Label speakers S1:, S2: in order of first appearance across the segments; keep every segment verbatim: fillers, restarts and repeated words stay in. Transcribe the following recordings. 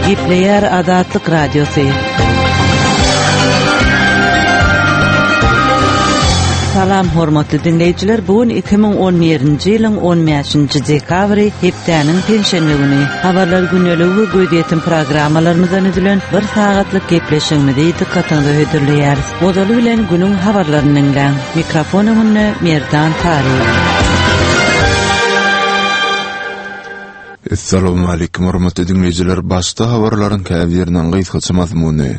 S1: Gepleýär Azatlyk Radiosy. Salam hormatly diňleýjiler, bu gün iki müň on birinji ýylyň on bäşinji dekabry, hepdäniň penşenbe güni. Habarlar gündeligi we gözýetim programmalarymyzdan düzülen bir sagatlyk gepleşigimizi dykgatyňyza hödürleýäris. Ozaly bilen günüň habarlaryny diňläň. Mikrofon öňünde Merdan Taryk.
S2: Essalamu aleýkum hormatly diňleýjiler. Başda habarlaryň käbiriniň gysgaça mazmuny.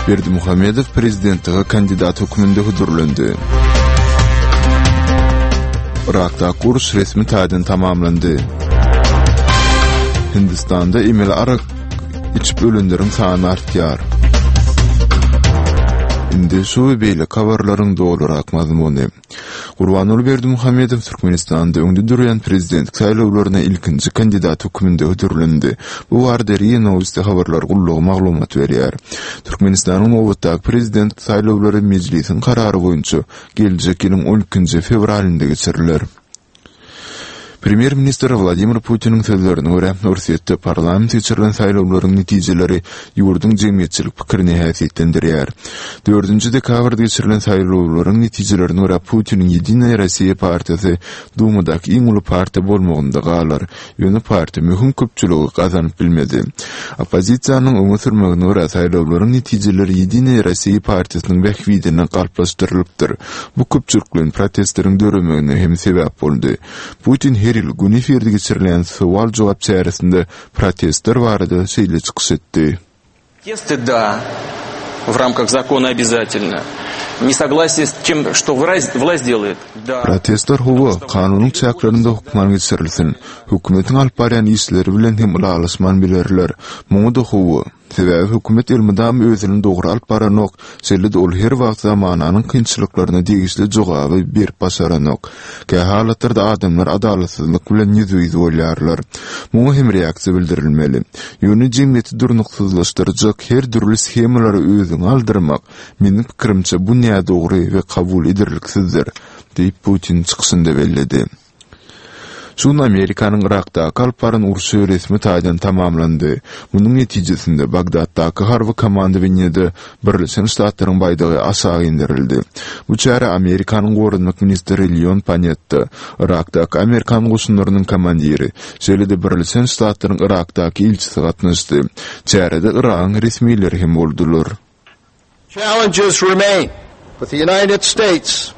S2: Berdimuhamedow prezidentlige kandidat hökmünde hödürlendi. Yrakdaky uruş resmi taýdan tamamlandy. Hindistanda emeli arak içip ölenleriň sany artýar. Indi şu we beýleki habarlaryň dolurak mazmuny. Gurbanguly Berdimuhamedow Türkmenistanda öňde durýan prezidentlik saýlawlaryna ilkinji kandidat hökmünde hödürlendi. Bu barada RIA Nowosti habarlar gullugy maglumat berýär. Türkmenistanyň nobatdaky prezident saýlawlary mejlisiň karary boýunça geljek ýylyň on ikinji fewralynda geçiriler. Premýer-ministr Wladimir Putiniň sözlerine görä, Orsýetde parlament geçirilen saýlawlaryň netijeleri ýurduň jemgyýetçilik pikirini häsiýetlendirýär. Dördünji dekabrda geçirilen saýlawlaryň netijelerine görä, Putiniň Ýedinaýa Rossiýa partiýasy Dumadaky iň uly partiýa bolmagynda galar. Ýöne partiýa möhüm köpçüligi gazanyp bilmedi. Oppozisiýanyň öňe sürmegine görä, saýlawlaryň netijeleri Ýedinaýa Rossiýa partiýasynyň bähbidine galplaşdyrylypdyr. Bu köpçülikleýin protestleriň döremegine hem sebäp boldy. Putin her ýyl gün efirde geçirilýän sowal-jogap çäresinde protestler barada şeýle çykyş etdi.
S3: Protesty, da, w ramkach zakona obязательно. Nesoglasие s tym, что власть делает, da.
S2: Protestler hawa, kanunyň çäklerinde hökman geçirilsin. Hökümetiň alyp barýan işleri bilen hem ylalaşman bilerler. Muňa-da hawa. Sebäbi hökümet elmydama özüni dogry alyp baranok, şeýle-de ol her wagt zamananyň kynçylyklaryna degişli jogaby berip başaranok. Kähalatlarda adamlar adalatsyzlyk bilen ýüzbe-ýüz bolýarlar. Muňa hem reaksiýa bildirilmeli. Ýöne jemgyýeti durnuksyzlaşdyrjak her dürli shemalara özüňi aldyrmak, meniň pikirimçe, bu nädogry we kabul ederliksizdir, diýip Putin çykyşynda belledi. Şu gün Amerikanyň Yrakdaky alyp baran urşy resmi taýdan tamamlandy. Munuň netijesinde Bagdatdaky harby komandowaniýede Birleşen Ştatlaryň baýdagy aşak indirildi. Bu çärä Amerikanyň goranmak ministri Leon Panetta, Yrakdaky amerikan goşunlarynyň komandiri, şeýle-de Birleşen Ştatlaryň Yrakdaky ilçisi gatnaşdy. Çärede Yragyň resmileri hem boldular.
S4: Challenges remain, but the United States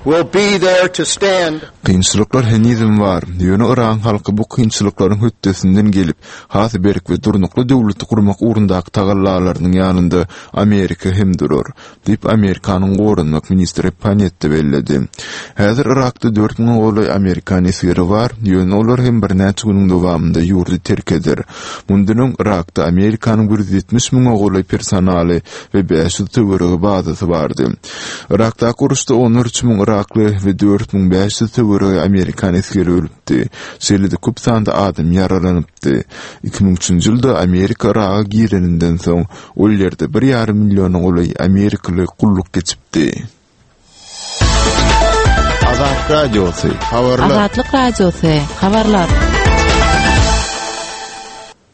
S4: will be there to stand.
S2: Kynçylyklar henizem bar, ýöne Yragyň halky bu kynçylyklaryň hötdesinden gelip, has berk we durnukly döwleti gurmak ugrundaky tagallalarynyň ýanynda Amerika hem durar, diýip, Amerikanyň goranmak ministri Panetta belledi. Häzir Yrakda dört müňe golaý amerikan esgeri bar, ýöne olar hem birnäçe günüň dowamynda ýurdy terk eder. Mundan öň Yrakda Amerikanyň bir ýüz ýetmiş müňe golaý personaly we bäş ýüz töweregi bazasy bardy. Yrakdaky uruşda on üç müň yrakly we dört müň bäş ýüz töweregi amerikan esgeri ölüpdi. Şeýle-de köp sanda adam ýaralanypdy. Iki müň üçünji ýylda Amerika Yraga gireninden soň, ol ýerde bir ýarym milliona golaý amerikaly gulluk geçipdi.
S5: Azatlyk Radiosy, habarlar.
S1: Azatlyk Radiosy, habarlar.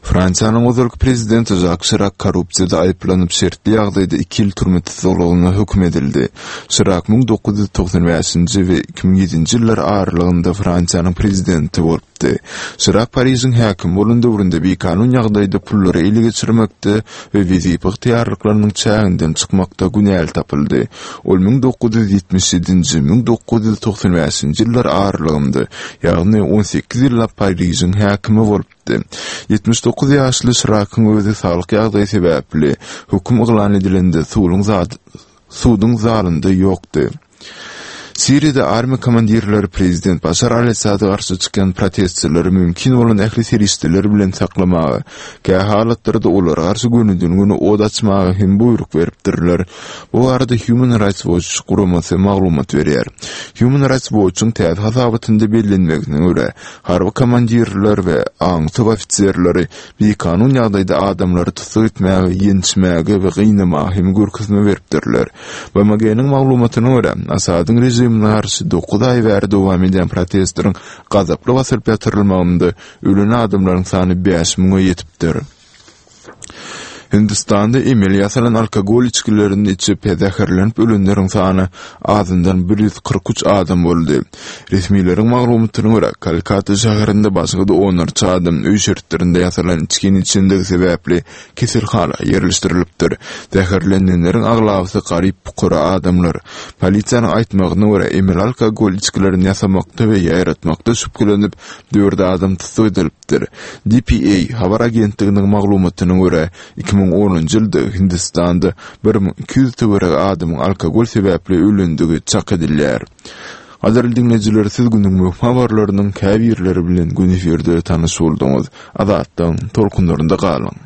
S2: Fransiýanyň ozalky prezidenti Žak Şirak korrupsiýada aýyplanyp, şertli ýagdaýda iki ýyl türme tussaglygyna höküm edildi. Şirak müň dokuz ýüz togsan bäşinji we iki müň ýedinji ýyllar aralygynda Fransiýanyň prezidenti bolupdy. Şirak Parižiň häkimi bolan döwründe bikanun ýagdaýda pullary ele geçirmekde we wezipe ygtyýarlyklarynyň çäginden çykmakda günäli tapyldy. Ol müň dokuz ýüz ýetmiş ýedinji, müň dokuz ýüz togsan bäşinji ýyllar aralygynda, ýagny on sekiz ýyllap Parižiň häkimi bolupdy. Ýetmiş dokuz ýaşly Şirakyň özi saglyk ýagdaýy sebäpli höküm yglan edilende suduň zalynda ýokdy. Siriýada armiýa komandirleri prezident Başar al-Assada garşy çykýan protestçileri mümkin bolan ähli serişdeler bilen saklamaga, kähalatlarda olara garşy gönüden-göni od açmaga hem buýruk beripdirler. Bu barada Human Rights Watch guramasy maglumat berýär. Human Rights Watch-yň täze hasabatynda bellenmegine görä, harby komandirler we aňtaw ofiserleri bikanun ýagdaýda adamlary tussag etmäge, ýençmäge we gynamaga hem görkezme beripdirler. B M G-niň maglumatyna görä, Asadyň režimi režimine garşy dokuz aý bäri dowam edýän protestleriň gazaply basylyp ýatyrylmagynda ölen adamlaryň sany bäş müňe ýetipdir. Hindistanda emeli ýasalan alkogol içgilerini içip zäherlenip ölenleriň sany azyndan bir ýüz kyrk üç adam boldy. Resmileriň maglumatyna görä, Kolkata şäherinde başga-da onlarça adam öý şertlerinde ýasalan içgini içendigi sebäpli keselhana ýerleşdirilipdir. Zäherlenenleriň aglabasy garyp-pukara adamlar. Polisiýanyň aýtmagyna görä, emeli alkogol içgilerini ýasamakda we ýaýratmakda şübhelenip, dört adam tussag edilipdir. D P A habar agentliginiň maglumatyna görä, iki müň onunjy ýylda Hindistanda bir müň iki ýüz töweregi adamyň alkogol sebäpli ölendigi çak edilýär. Gadyrly diňleýjiler, siz günüň möhüm habarlarynyň käbirleri bilen gün efirde tanyş bolduňyz. Azatlygyň tolkunlarynda galyň.